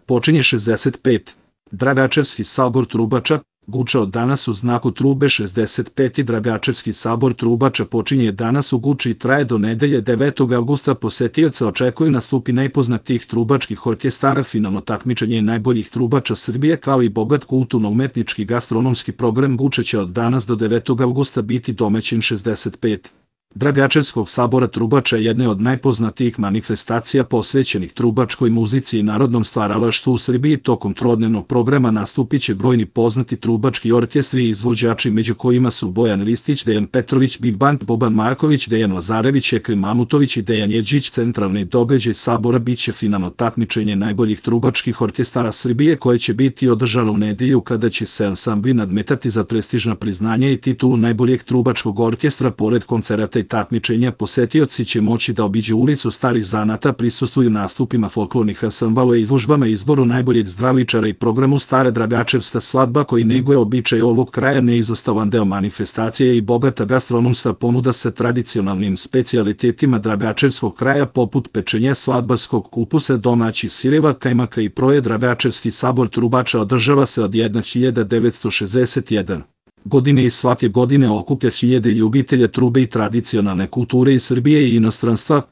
počinje 65. Dragačevski sabor Trubača, Guča od danas u znaku trube 65. Dragačevski sabor Trubača počinje danas u Guči i traje do nedelje 9. avgusta. Posetioca očekuju nastupi najpoznatijih trubačkih orkestara, finalno takmičenje najboljih trubača Srbije, kao i bogat kulturno-umetnički gastronomski program. Guča će od danas do 9. avgusta biti domaćin 65. Dragačevskog sabora Trubača je jedna od najpoznatijih manifestacija posvećenih trubačkoj muzici i narodnom stvaralaštvu u Srbiji. Tokom trodnevnog programa nastupit će brojni poznati trubački orkestri i izvođači, među kojima su Bojan Ristić, Dejan Petrović, Big Band, Boban Marković, Dejan Lazarević, Ekrem Mamutović i Dejan Jedžić. Centralni događaj sabora biće finalno takmičenje najboljih trubačkih orkestara Srbije, koje će biti održano u nedelju, kada će se ansambli nadmetati za prestižna priznanja i titulu najboljeg trubačkog orkestra. Pored koncerata i takmičenja, posetioci će moći da obiđu ulicu starih zanata, prisustvuju nastupima folklornih ansambala i izložbama, izboru najboljeg zdravičara i programu Stara Dragačevska svadba, koji neguje običaj ovog kraja. Neizostavan deo manifestacije i bogata gastronomska ponuda sa tradicionalnim specijalitetima Dragačevskog kraja, poput pečenja, svadbarskog kupusa, domaćih sireva, kajmaka i proje. Dragačevski sabor Trubača održava se od 1961. godine i svake godine okuplja hiljade ljubitelja trube i tradicionalne kulture iz Srbije i inostranstva.